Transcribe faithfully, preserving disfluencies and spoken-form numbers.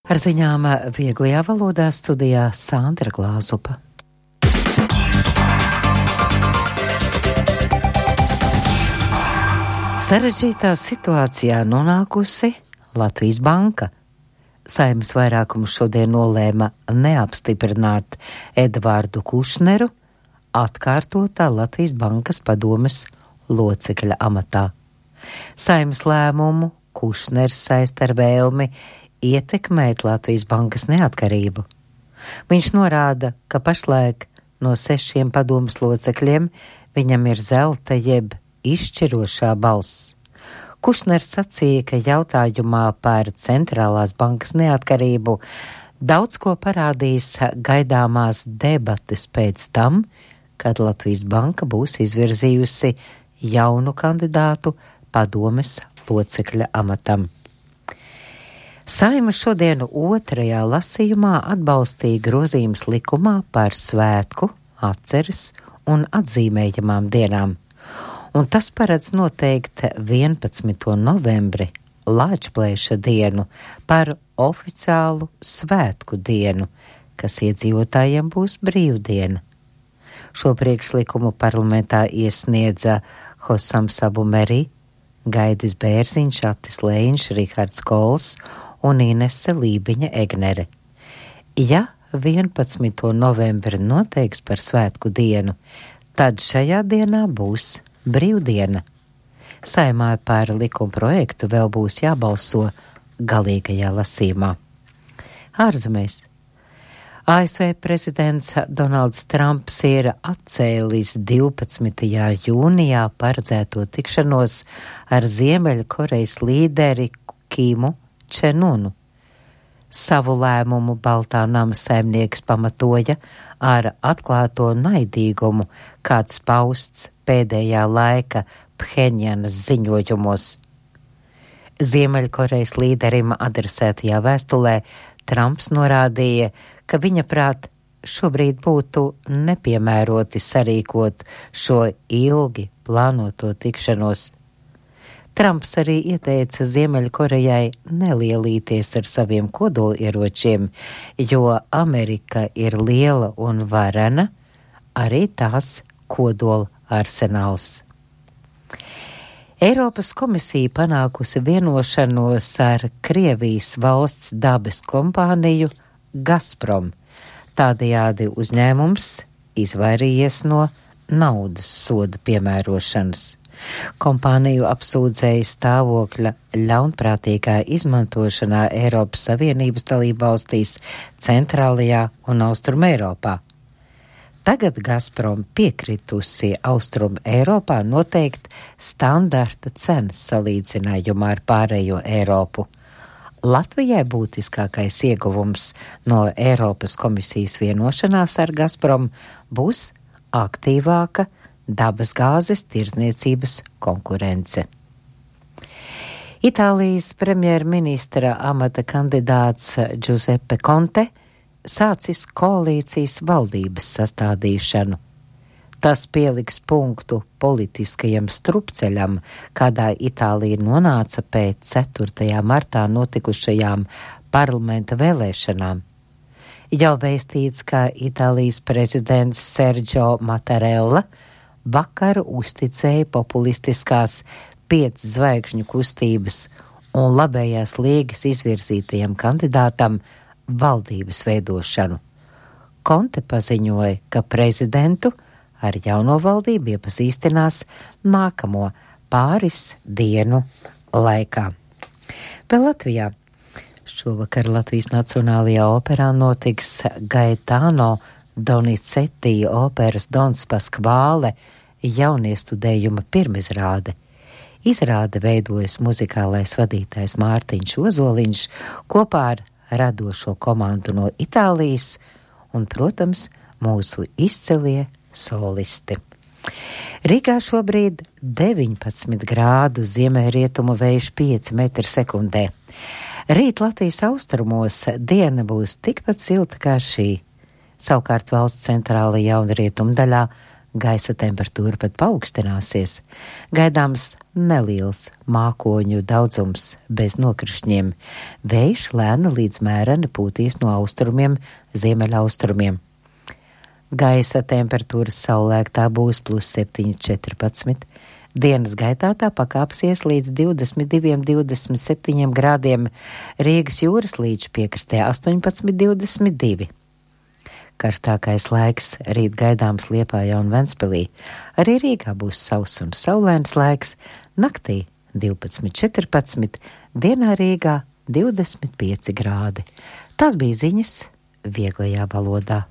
Ar ziņām vieglajā valodā studijā Sandra Glāzupa. Sarežģītā situācijā nonākusi Latvijas Banka. Saeimas vairākums šodien nolēma neapstiprināt Edvardu Kušneru atkārtotā Latvijas Bankas padomes locekļa amatā. Saeimas lēmumu Kušners saista ar vēlmi ietekmēt Latvijas Bankas neatkarību. Viņš norāda, ka pašlaik no sešiem padomes locekļiem viņam ir zelta jeb izšķirošā balss. Kušners sacīja, ka jautājumā par centrālās bankas neatkarību daudz ko parādīs gaidāmās debates pēc tam, kad Latvijas Banka būs izvirzījusi jaunu kandidātu padomes locekļa amatam. Saeima šodien otrajā lasījumā atbalstīja grozījumus likumā par svētku, atceres un atzīmējamām dienām, un tas paredz noteikt vienpadsmito novembri Lāčplēša dienu par oficiālu svētku dienu, kas iedzīvotājiem būs brīvdiena. Šo priekšlikumu parlamentā iesniedza Hosams Abu Merī, Gaidis Bērziņš, Atis Lēņš, Rihards Kols un Inese Lībiņa Egnere. Ja vienpadsmito novembri noteiks par svētku dienu, tad šajā dienā būs brīvdiena. Saeimā par likuma projektu vēl būs jābalso galīgajā lasījumā. Ārzemēs. A S V prezidents Donalds Trumps ir atcēlis divpadsmitajā jūnijā paredzēto tikšanos ar Ziemeļkorejas līderi Kimu Čenunu. Savu lēmumu Baltā nama saimnieks pamatoja ar atklāto naidīgumu, kāds pausts pēdējā laika Phenjanas ziņojumos. Ziemeļkorejas līderim adresētajā vēstulē Trumps norādīja, ka viņa prāt šobrīd būtu nepiemēroti sarīkot šo ilgi plānoto tikšanos. Trumps arī ieteica Ziemeļkorejai nelielīties ar saviem kodolieročiem, jo Amerika ir liela un varena, arī tās kodola arsenāls. Eiropas komisija panākusi vienošanos ar Krievijas valsts dabas kompāniju Gazprom. Tādējādi uzņēmums izvairījies no naudas soda piemērošanas. Kompāniju apsūdzēja stāvokļa ļaunprātīgā izmantošanā Eiropas Savienības dalībvalstīs Centrālajā un Austrum Eiropā. Tagad Gazprom piekritusi Austrum Eiropā noteikt standarta cenas salīdzinājumā ar pārējo Eiropu. Latvijai būtiskākais ieguvums no Eiropas komisijas vienošanās ar Gazprom būs aktīvāka dabas gāzes tirdzniecības konkurence. Itālijas premjerministra amata kandidāts Giuseppe Conte sācis koalīcijas valdības sastādīšanu. Tas pieliks punktu politiskajam strupceļam, kādā Itālija nonāca pēc ceturtajā martā notikušajām parlamenta vēlēšanām. Jau vēstīts, ka Itālijas prezidents Sergio Mattarella vakar uzticēja populistiskās piec zvaigžņu kustības un labējās līgas izvirzītajam kandidātam valdības veidošanu. Conte paziņoja, ka prezidentu ar jauno valdību iepazīstinās nākamo pāris dienu laikā. Vēl Latvijā. Šovakar Latvijas Nacionālajā operā notiks Gaetano Donizetti operas Dons Paskvāle jauniestudējuma pirmizrāde. Izrāde veidojas muzikālais vadītājs Mārtiņš Ozoliņš kopā ar radošo komandu no Itālijas un, protams, mūsu izcilie solisti. Rīgā šobrīd deviņpadsmit grādu, ziemeļrietumu vējš pieci metri sekundē. Rīt Latvijas austrumos diena būs tikpat silta kā šī. Savukārt valsts centrālajā un rietumu daļā gaisa temperatūra pat paaugstināsies, gaidāms neliels mākoņu daudzums bez nokrišņiem, vējš lēni līdz mēreni pūtīs no austrumiem, ziemeļaustrumiem. Gaisa temperatūras saulēktā būs plus septiņi četrpadsmit, dienas gaitā tā pakāpsies līdz divdesmit diviem divdesmit septiņiem grādiem, Rīgas jūras līča piekrastē astoņpadsmit divdesmit divi. Karstākais laiks rīt gaidāms Liepājā un Ventspilī. Arī Rīgā būs sauss un saulains laiks, naktī divpadsmit četrpadsmit, dienā Rīgā divdesmit pieci grādi. Tas bija ziņas vieglajā valodā.